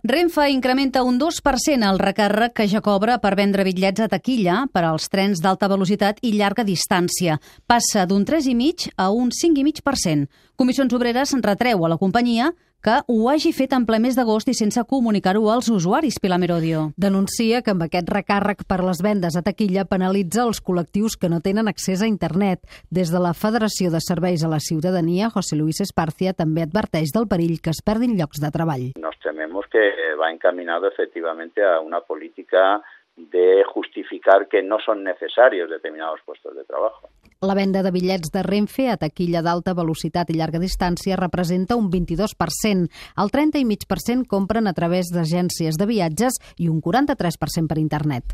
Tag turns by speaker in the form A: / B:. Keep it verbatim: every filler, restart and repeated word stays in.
A: Renfe incrementa un dos per cent el recàrrec que ja cobra per vendre bitllets a taquilla per als trens d'alta velocitat i llarga distància. Passa d'un tres coma cinc a un cinc coma cinc per cent. Comissions Obreres retreu a la companyia que ho hagi fet en ple mes d'agost i sense comunicar-ho als usuaris, Pilar Merodio.
B: Denuncia que amb aquest recàrrec per les vendes a taquilla penalitza els col·lectius que no tenen accés a internet. Des de la Federació de Serveis a la Ciutadania, José Luis Esparcia també adverteix del perill que es perdin llocs de treball.
C: Nos tememos que va encaminado efectivamente a una política de justificar que no son necesarios determinados puestos de trabajo.
B: La venda de bitllets de Renfe a taquilla d'alta velocitat i llarga distància representa un vint-i-dos per cent. El trenta coma cinc per cent compren a través d'agències de viatges i un quaranta-tres per cent per internet.